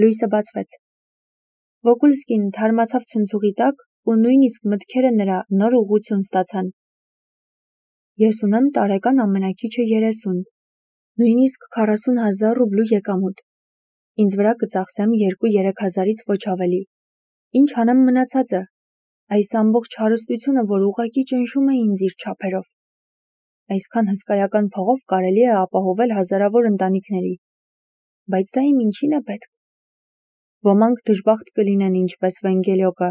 Լույսը բացվեց։ Վոկուլսկին թարմացավ ցնցուղի տակ ու նույնիսկ մտքերը նրա նոր ուղղություն ստացան։ Ես ունեմ տարեկան ամենաքիչը 30, նույնիսկ 40,000 ռուբլու եկամուտ։ Ինձ վրա կծախսեմ 2-3 հազարից ոչ ավելի։ Ինչ անեմ մնացածը։ Այս ամբողջ հարստությունը, որ ուղղակի ճնշում է ինձ իր չափերով։ Այսքան հսկայական փողով կարելի է ապահովել հազարավոր ընտանիքների։ Բայց դա իմ ինչին է պետք։ Ոմանք դժբախտ կլինեն ինչպես Վենգելյոկը,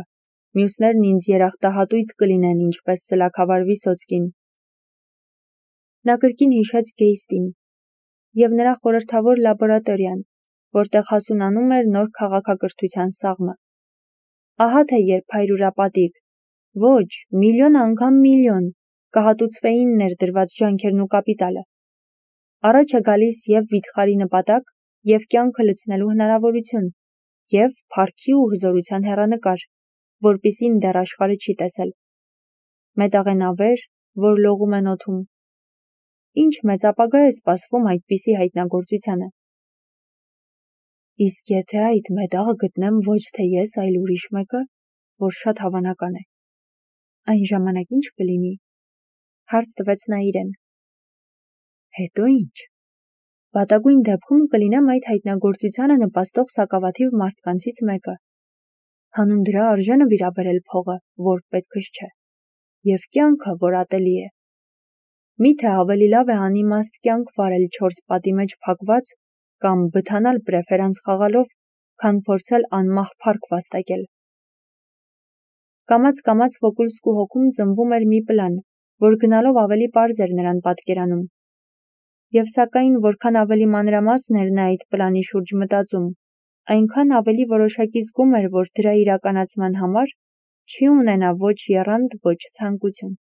մյուսներն ինձ երախտահատույց կլինեն ինչպես սլաքավար Վիսոցկին։ Նա կրկին հիշեց Գեյստին և նրա խորհրդավոր լաբորատորիան, որտեղ հասունանում էր նոր քաղաքակրթության սաղմը։ Ահա թե երբ հայրուրապատիկ, ոչ, միլիոն անգամ միլիոն, կհատուցվեին ներդրված ջանքերն ու կապիտալը։ Առաջ է գալիս և վիթխարի նպատակ, և կյանքը լցնելու հնարավորություն, և փառքի ու հզորության հեռանկար, որպիսին դեռ աշխարհը չի տեսել։ Մետաղենավեր, որ լողում են օդում։ Ինչ մեծ ապագա է սպասվում այդպիսի հայտնագործությանը։ Իսկ եթե այդ մետաղը գտնեմ ոչ թե ես, այլ ուրիշ մեկը, որ շատ հավանական է, այն ժամանակ ինչ կլինի, հարց տվեց նա իրեն։ Հետո ինչ։ Վատագույն դեպքում կլինեմ այդ հայտնագործությանը նպաստող սակավաթիվ մարդկանցից մեկը։ Հանուն դրա արժե նվիրաբերել փողը, որ պետքս չէ, և կյանքը, որ ատելի է։ Միթե ավելի լավ է անիմաստ կյանք վարել 4 պատի մեջ փակված կամ բթանալ պրեֆերանս խաղալով, քան փորձել անմահ փառք վաստակել։ Կամաց Վոկուլսկու հոգում ծնվում էր մի պլան, որ գնալով ավելի պարզ էր նրան պատկերանում։ Եվ սակայն որքան ավելի մանրամասն էր նա այդ պլանի շուրջ մտածում, այնքան ավելի որոշակի զգում էր, որ դրա իրականացման համար չի ունենա ոչ եռանդ, ոչ ցանկություն։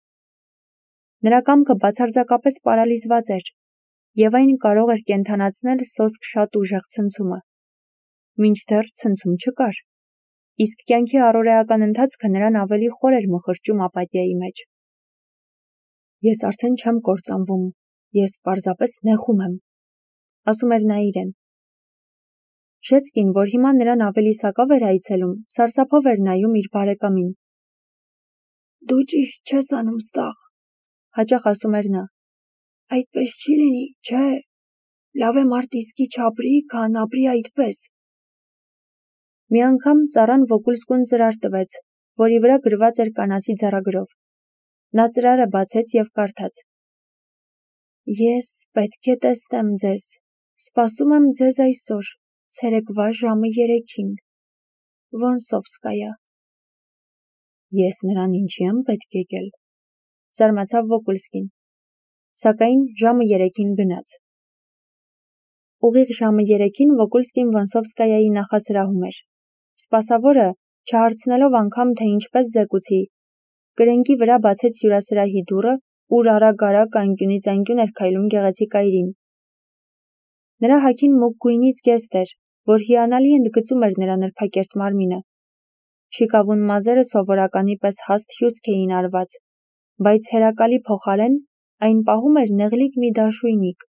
Նրա կամքը բացարձակապես պարալիզված էր, և այն կարող էր կենդանացնել սոսկ շատ ուժեղ ցնցումը։ Մինչդեռ ցնցում չկար, իսկ կյանքի առօրեական ընթացքը նրան ավելի խոր էր մխրճում ապաթիայի մեջ։ Ես արդեն չեմ կործանվում, ես պարզապես նեղում եմ, ասում էր նա իրեն։ Շեցկին, որ հիմա նրան ավելի սակավ էր այցելում, սարսափով էր նայում իր բարեկամին։ Դու ճիշտ չես անում ստաղ, հաճախ ասում էր նա։ Այդպես չի լինի, չէ, լավ է մարդ իսկի չապրի, քան ապրի այդպես։ Մի անգամ ծառան Վոկուլսկուն ծրար տվեց, որի վրա գրված էր կանացի ձեռագրով։ Նա ծրարը բացեց և կարդաց. Ես պետք է տեսնեմ ձեզ, սպասում եմ ձեզ այսօր, ցերեկվա ժամը 3-ին։ Վոնսովսկայա։ Ես նրան ինչի եմ պետք եկել, զարմացավ Վոկուլսկին, սակայն ժամը 3-ին գնաց։ Ուղիղ ժամը 3-ին Վոկուլսկին Վոնսովսկայայի նախասրահում էր։ Սպասավորը, չհարցնելով անգամ, թե ինչպես զեկուցի, կրնկի վրա բացեց հյուրասրահի դուռը, ուր արագ-արագ անկյունից անկյուն էր քայլում գեղեցիկ այրին։ Նրա հագին մուգ գույնի զգեստ էր, որ հիանալի ընդգծում էր նրա նրբակերտ մարմինը։ Շիկավուն մազերը սովորականի պես հաստ հյուսք էին արված, բայց հերակալի փոխարեն այն պահում էր նեղլիկ մի դաշույնիկ,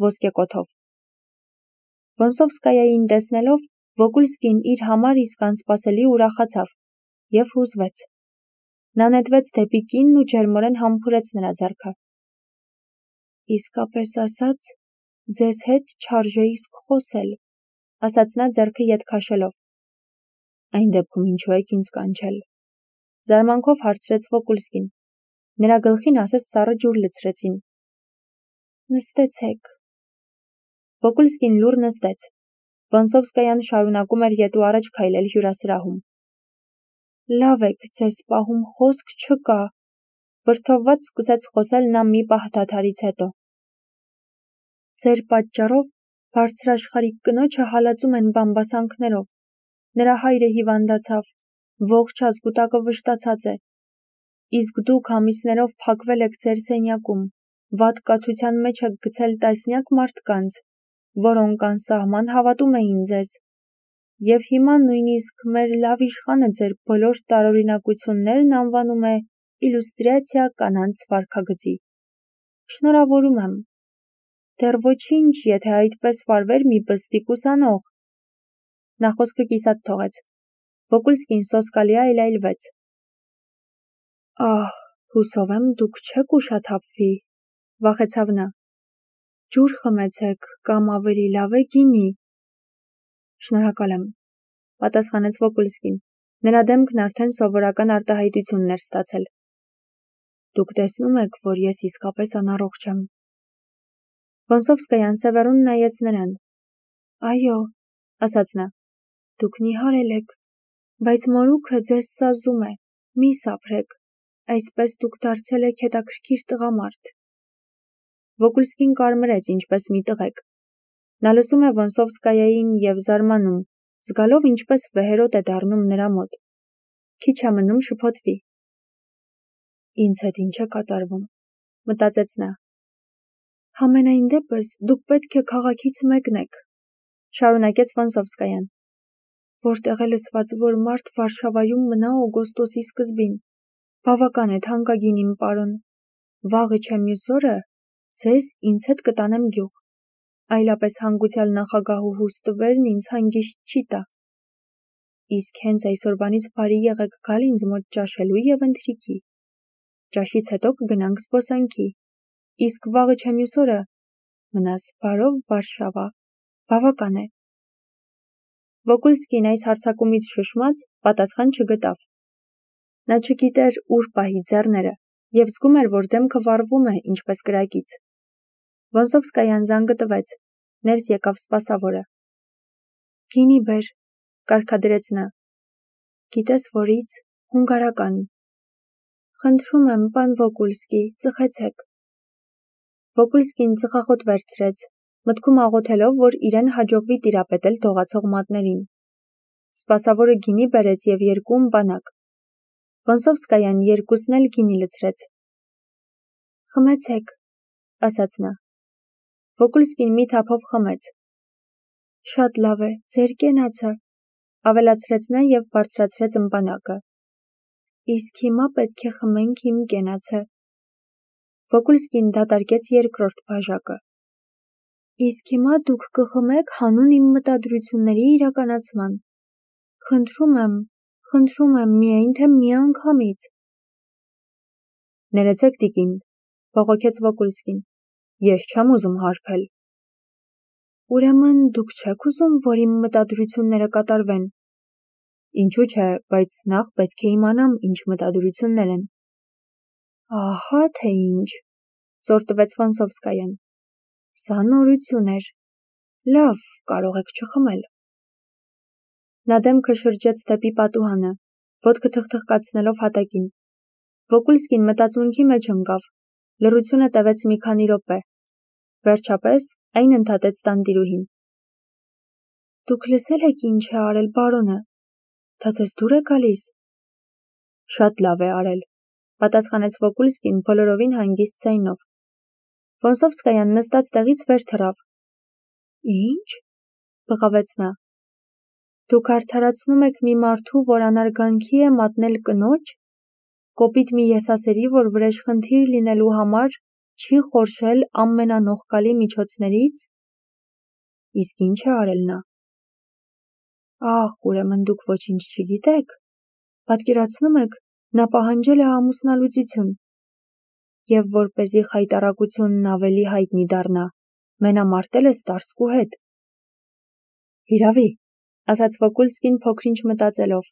ոսկեկոթով։ Վոնսովսկայային տեսնելով, Վոկուլսկին իր համար իսկ անսպասելի ուրախացավ և հուզվեց։ Նա նետվեց դեպի կինն ու ջերմորեն համբուրեց նրա ձեռքը։ Իսկապես ասած, ձեզ հետ չարժե իսկ խոսել, ասաց նա ձեռքը ետ քաշելով։ Այն դեպքում ինչու եք ինձ կանչել, զարմանքով հարցրեց Վոկուլսկին։ Նրա գլխին ասես սառը ջուր լցրեցին։ Նստեցեք։ Վոկուլսկին լուռ նստեց։ Վոնսովսկայան շարունակում էր ետ ու առաջ քայլել հյուրասրահում։ Լավ եք ձեզ պահում, խոսք չկա, վրդովված սկսեց խոսել նա մի պահ դադարից հետո։ Ձեր պատճառով բարձրաշխարհիկ կնոջը հալածում են բամբասանքներով։ Նրա հայրը հիվանդացավ, ողջ ազգուտակը վշտացած է։ Իսկ դուք ամիսներով փակվել եք ձեր սենյակում, վատ կացության մեջ եք գցել տասնյակ մարդկանց, որոնք անսահման հավատում էին ձեզ։ Եվ հիմա նույնիսկ մեր լավ իշխանը ձեր բոլոր տարօրինակություններն անվանում է իլյուստրացիա կանանց վարքագծի։ Շնորհավորում եմ։ Դեռ ոչինչ, եթե այդպես վարվեր մի բստիկ ուսանող։ Նա խոսքը կիսատ թողեց։ Վոկուլսկին սոսկալի այլայլվեց։ Ահ, հուսով եմ դուք չեք ուշաթափվի, վախեցավ նա։ Ջուր խմեցեք, կամ ավելի լավ է գինի։ Շնորհակալ եմ, պատասխանեց Վոկուլսկին։ Նրա դեմքն արդեն սովորական արտահայտությունն էր ստացել։ Դուք տեսնում եք, որ ես իսկապես անառողջ եմ։ Վոնսովսկայան Սևեռուն նայեց նրան։ Այո, ասաց նա, դուք նիհարել եք, բայց մորուքը ձեզ սազում է, մի սափրեք, այսպես դուք դարձել եք հետաքրքիր տղամարդ։ Վոկուլսկին կարմրեց, ինչպես մի տղեկ։ Նա լսում է Վոնսովսկայային և զարմանում, զգալով ինչպես վեհերոտ է դառնում նրա մոտ։ Քիչ է մնում շփոթվի։ Ինձ հետ ինչ է կատարվում, մտածեց նա։ Համենայն դեպս դուք պետք է քաղաքից մեկնեք, շարունակեց Վոնսովսկայան, որտեղ է լսված, որ մարդ Վարշավայում մնա օգոստոսի սկզբին։ Բավական է թանկագին իմ պարոն։ Վաղը չէ մյուս օրը ձեզ ինձ հետ կտանեմ գյուղ։ Այլապես հանգուցյալ նախագահուհու ստվերն ինձ հանգիստ չի տա։ Իսկ հենց այսօրվանից բարի եղեք գալ ինձ մոտ ճաշելու և ընթրիքի։ Ճաշից հետո կգնանք զբոսանքի։ Իսկ վաղը չէ մյուս օրը մնաս բարով Վարշավա։ Բավական է։ Վոկուլսկին այս հարձակումից շշմած պատասխան չգտավ։ Նա չգիտեր ուր պահի ձեռները և զգում էր, որ դեմքը վառվում է, ինչպես կրակից։ Վոնսովսկայան զանգը տվեց, ներս եկավ սպասավորը։ Գինի բեր, կարգադրեց նա։ Գիտես որից, հունգարական։ Խնդրում եմ, պան Վոկուլսկի, ծխեցեք։ Վոկուլսկին ծխախոտ վերցրեց, մտքում աղոթելով, որ իրեն հաջողվի տիրապետել դողացող մատներին։ Սպասավորը գինի բերեց և երկու ըմպանակ։ Վոնսովսկայան երկուսն էլ գինի լցրեց։ Խմեցեք, ասաց նա։ Վոկուլսկին մի թափով խմեց։ Շատ լավ է, ձեր կենացը, ավելացրեց նա և բարձրացրեց ըմպանակը։ Իսկ հիմա պետք է խմենք իմ կենացը։ Վոկուլսկին դատարկեց երկրորդ բաժակը։ Իսկ հիմա դուք կխմեք հանուն իմ մտադրությունների իրականացման։ Խնդրում եմ, միայն թե մի անգամից։ Ներեցեք տիկին, բողոքեց Վոկուլսկին, ես չեմ ուզում հարբել։ Ուրեմն դուք չեք ուզում, որ իմ մտադրությունները կատարվեն։ Ինչու՞ չէ, բայց նախ պետք է իմանամ, ինչ մտադրություններ են։ Ահա թե ինչ, ծոր տվեց Վոնսովսկայան։ Սա նորություն էր։ Լավ, կարող եք չխմել։ Նա դեմքը շրջեց դեպի պատուհանը, ոտքը թխթխկացնելով հատակին։ Վոկուլսկին մտածմունքի մեջ ընկավ, լռությունը տևեց մի քանի րոպե։ Վերջապես այն ընդհատեց տանտիրուհին։ Դուք լսել եք ինչ է արել բարոնը։ Դա ձեզ դուր է գալիս։ Շատ լավ է արել, պատասխանեց Վոկուլսկին բոլորովին հանգիստ ձայնով։ Վոնսովսկայան նստած տեղից վեր թռավ։ Ինչ, բղավեց նա։ Դուք արդարացնում եք մի մարդու, որ անարգանքի է մատնել կնոջ, կոպիտ մի եսասերի, որ վրեժխնդիր լինելու համար չի խորշել ամենանողկալի միջոցներից։ Իսկ ինչ է արել նա։ Ախ, ուրեմն դուք ոչինչ չգիտեք։ Պատկերացնում եք, նա պահանջել է ամուսնալուծություն։ Եվ որպեսզի խայտառակությունն ավելի հայտնի դառնա, մենամարտել է Ստարսկու հետ։ Հիրավի, ասաց Վոկուլսկին փոքր-ինչ մտածելով։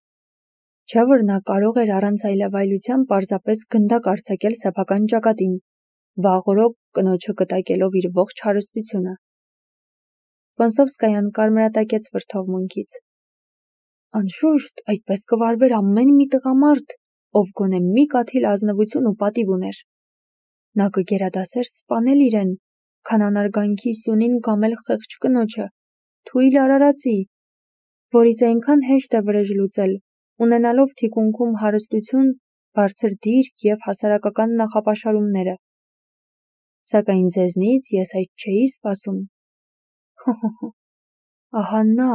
Չէ՞ որ նա կարող էր առանց այլևայլության պարզապես գնդակ արձակել սեփական ճակատին, վաղ օրոք կնոջը կտակելով իր ողջ հարստությունը։ Վոնսովսկայան կարմրատակեց վրդովմունքից։ Անշուշտ, այդպես կվարվեր ամեն մի տղամարդ, ով գոնե մի կաթիլ ազնվություն ու պատիվ ուներ։ Նա կգերադասեր սպանել իրեն, քան անարգանքի սյունին կամել խեղճ կնոջը, թույլ արարածի, որից այնքան հեշտ է վրեժ լուծել, ունենալով թիկունքում հարստություն, բարձր դիրք և հասարակական նախապաշարումները։ Սակայն ձեզնից ես այդ չէի սպասում։ Ահա նա,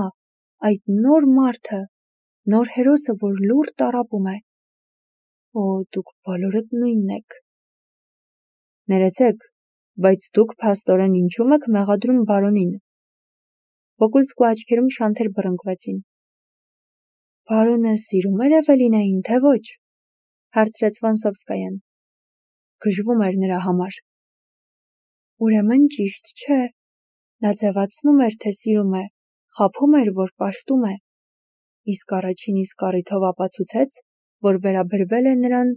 այդ նոր մարդը, նոր հերոսը, որ լուռ տառապում է։ Օ, դուք բոլորդ նույնն եք։ Ներեցեք, բայց դուք փաստորեն ինչու՞մ եք մեղադրում բարոնին։ Վոկուլսկու աչքերում շանթեր բռնկվեցին։ Բարոնը սիրում էր Էվելինային, թե ոչ, հարցրեց Վանսովսկայան։ Գժվում էր նրա համար։ Ուրեմն ճիշտ չէ, նա ձևացնում էր, թե սիրում է, խաբում էր, որ պաշտում է, իսկ առաջին իսկ առիթով ապացուցեց, որ վերաբերվել է նրան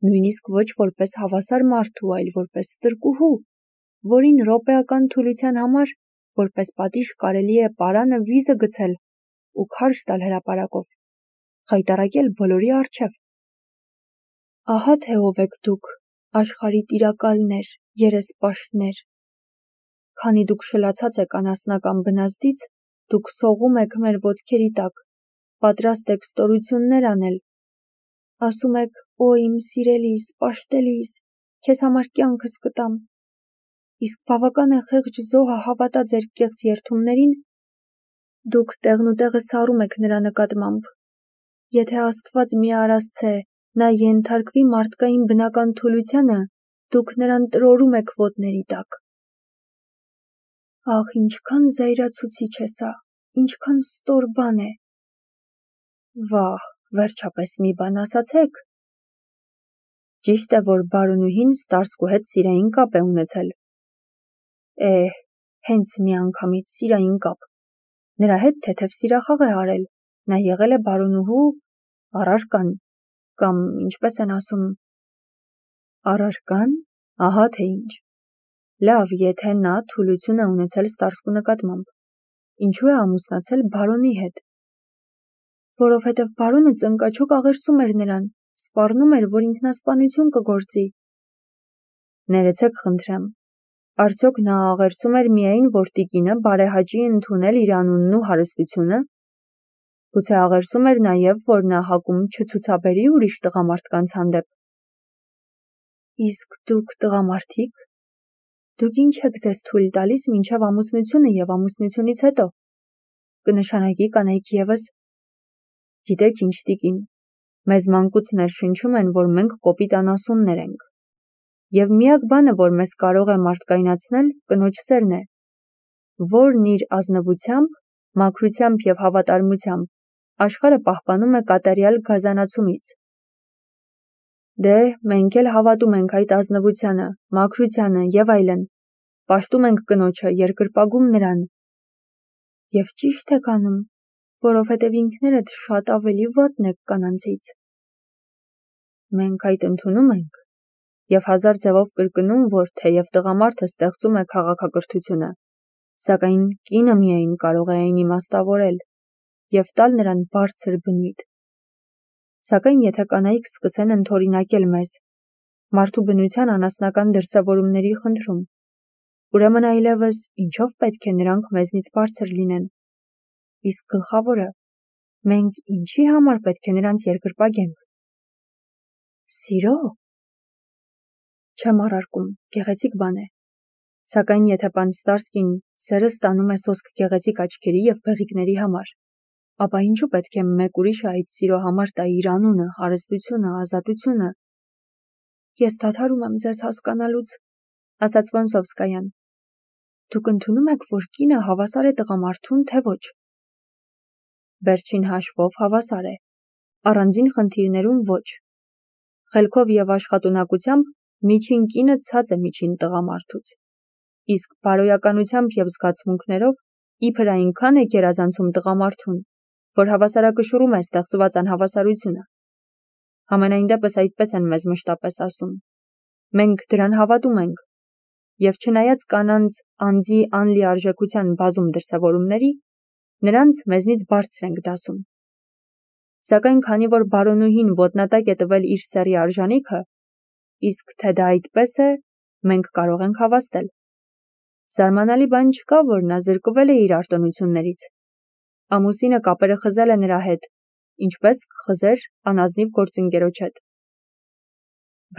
նույնիսկ ոչ որպես հավասար մարդու, այլ որպես ստրկուհու, որին րոպեական թուլության համար որպես պատիժ կարելի է պարանը վիզը գցել ու քարշ տալ հրապարակով, խայտառակել բոլորի առջև։ Ահա թե ով եք դուք, աշխարհի տիրակալներ, երեսպաշտներ։ Քանի դուք շլացած եք անասնական բնազդից, դուք սողում եք մեր ոտքերի տակ, պատրաստ եք ստորություններ անել։ Ասում եք, օ իմ սիրելիս, պաշտելիս, քեզ համար կյանքս կտամ։ Իսկ բավական է խեղճ զոհը հավատա ձեր կեղծ երդումներին, դուք տեղնուտեղը սառում եք նրա նկատմամբ։ Եթե Աստված մի արասցե, նա ենթարկվի մարդկային բնական թուլությանը, դուք նրան տրորում եք ոտների տակ։ Ախ, ինչքան զայրացուցիչ է սա, ինչքան ստոր բան է։ Վահ, վերջապես մի բան ասացեք։ Ճիշտ է, որ բարոնուհին Ստարսկու հետ սիրային կապ է ունեցել։ Հենց միանգամից սիրային կապ։ Նրա հետ թեթև սիրախաղ է արել, նա եղել է բարոնուհու առարկան, կամ ինչպես են ասում, առարկան, ահա թե ինչ։ Լավ, եթե նա թուլություն է ունեցել Ստարսկու նկատմամբ, ինչու է ամուսնացել բարոնի հետ։ Որովհետև բարոնը ծնկաչոք աղերսում էր նրան, սպառնում էր, որ ինքնասպանություն կգործի։ Ներեցեք խնդրեմ, արդյոք նա աղերսում էր միայն, որ տիկինը բարեհաճի ընդունել իր անունն ու հարստությունը։ Գուցե աղերսում էր նաև, որ նա հակում չցուցաբերի ուրիշ տղամարդկանց հանդեպ։ Իսկ դուք տղամարդիկ, դուք ինչ եք ձեզ թույլ տալիս մինչև ամուսնությունը և ամուսնությունից հետո։ Կնշանակի կանայք ևս։ Գիտեք ինչ, տիկին, մեզ մանկուց ներշնչում են, որ մենք կոպիտ անասուններ ենք։ Եվ միակ բանը, որ մեզ կարող է մարդկայնացնել, կնոջ սերն է, որն իր ազնվությամբ, մաքրությամբ և հավատարմությամբ աշխարհը պահպանում է կատարյալ գազանացումից։ Դե, մենք էլ հավատում ենք այդ ազնվությանը, մաքրությանը և այլն, պաշտում ենք կնոջը, երկրպագում նրան։ Եվ ճիշտ եք անում, որովհետև ինքներդ շատ ավելի վատն եք կանանցից։ Մենք այդ ընդունում ենք և հազար ձևով կրկնում, որ թեև տղամարդը ստեղծում է քաղաքակրթությունը, սակայն կինը միայն կարող է այն իմաստավորել և տալ նրան բարձր բնույթ։ Սակայն եթե կանայք սկսեն ընդօրինակել մեզ, մարդու բնության անասնական դրսևորումների խնդրում, ուրեմն այլևս ինչով պետք է նրանք մեզնից բարձր լինեն։ Իսկ գլխավորը, մենք ինչի համար պետք է նրանց երկրպագենք։ Սիրո։ Չեմ առարկում, գեղեցիկ բան է։ Սակայն եթե պան Ստարսկին սերը ստանում է սոսկ գեղեցիկ աչքերի և բեղիկների համար, ապա ինչու պետք է մեկ ուրիշը այդ սիրո համար տա իր անունը, հարստությունը, ազատությունը։ Ես դադարում եմ ձեզ հասկանալուց, ասաց Վանսովսկայան։ Դուք ընդունում եք, որ կինը հավասար է տղամարդուն, թե ոչ։ Վերջին հաշվով հավասար է, առանձին խնդիրներում ոչ։ Խելքով և աշխատունակությամբ միջին կինը ցած է միջին տղամարդուց։ Իսկ բարոյականությամբ և զգացմունքներով իբր այնքան է գերազանցում տղամարդուն, որ հավասարակշռում է ստեղծված անհավասարությունը։ Համենայն դեպս այդպես են մեզ մշտապես ասում։ Մենք դրան հավատում ենք։ Եվ չնայած կանանց անձի անլիարժեքության բազում դրսևորումների, նրանց մեզնից բարձր ենք դասում։ Սակայն քանի որ բարոնուհին ոտնատակ է տվել իր սեռի արժանիքը, իսկ թե դա այդպես է, մենք կարող ենք հավաստել։ Զարմանալի բան չկա, որ նա զրկվել է իր արտոնություններից։ Ամուսինը կապերը խզել է նրա հետ, ինչպես կխզեր անազնիվ գործընկերոջ հետ։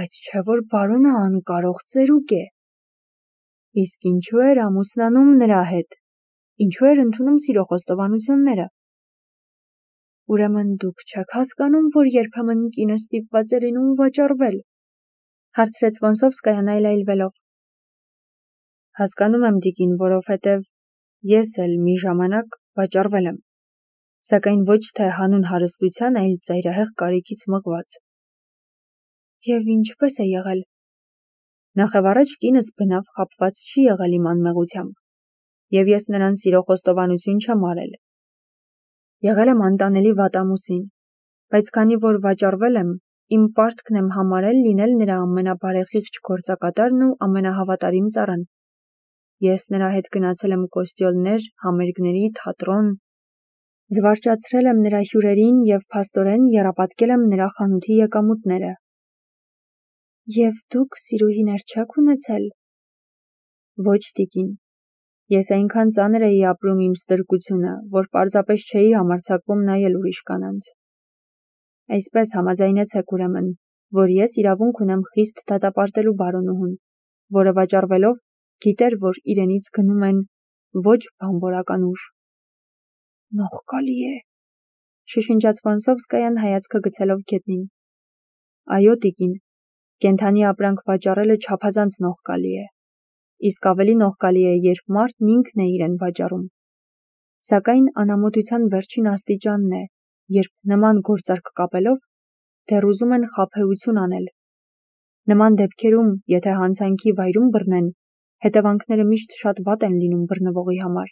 Բայց չէ որ բարոնը անկարող ծերուկ է։ Իսկ ինչու էր ամուսնանում նրա հետ։ Ինչու էր ընդունում սիրո խոստովանությունները։ Ուրեմն դուք չեք հասկանում, որ երբեմն կինը ստիպված է լինում վաճառվել, հարցրեց Վանսովսկայան այլայլվելով։ Հասկանում եմ, տիկին, որովհետև Ես էլ մի ժամանակ վաճառվել եմ, սակայն ոչ թե հանուն հարստության, այլ ծայրահեղ կարիքից մղված։ Եվ ինչպես է եղել։ Նախևառաջ կինս բնավ խաբված չի եղել իմ անմեղությամբ, և ես նրան սիրո խոստովանություն չեմ արել։ Եղել եմ անտանելի վատամուսին, բայց քանի որ վաճառվել եմ, իմ պարտքն եմ համարել լինել նրա ամենաբարեխիղճ գործակատարն ու ամենահավատարիմ ծառան։ Ես նրա հետ գնացել եմ կոստյոլներ, համերգների, թատրոն, զվարճացրել եմ նրա հյուրերին և փաստորեն եռապատկել եմ նրա խանութի եկամուտները։ Եվ դուք սիրուհիներ չեք ունեցել։ Ոչ, տիկին, ես այնքան ծանր էի ապրում իմ ստրկությունը, որ պարզապես չէի համարձակվում նայել ուրիշ կանանց։ Այսպես համաձայնեցեք ուրեմն, որ ես իրավունք ունեմ խիստ դատապարտելու բարոնուհուն, որը վաճառվելով գիտեր, որ իրենից գնում են ոչ բանվորական ուժ։ Նողկալի է, շշնջաց Ֆոնսովսկայան հայացքը գցելով գետնին։ Այո, տիկին, կենդանի ապրանք վաճառելը չափազանց նողկալի է, իսկ ավելի նողկալի է, երբ մարդն ինքն է իրեն վաճառում։ Սակայն անամոթության վերջին աստիճանն է, երբ նման գործարք կապելով դեռ ուզում են խաբեություն անել։ Նման դեպքերում, եթե հանցանքի վայրում բռնեն, հետևանքները միշտ շատ վատ են լինում բռնվողի համար։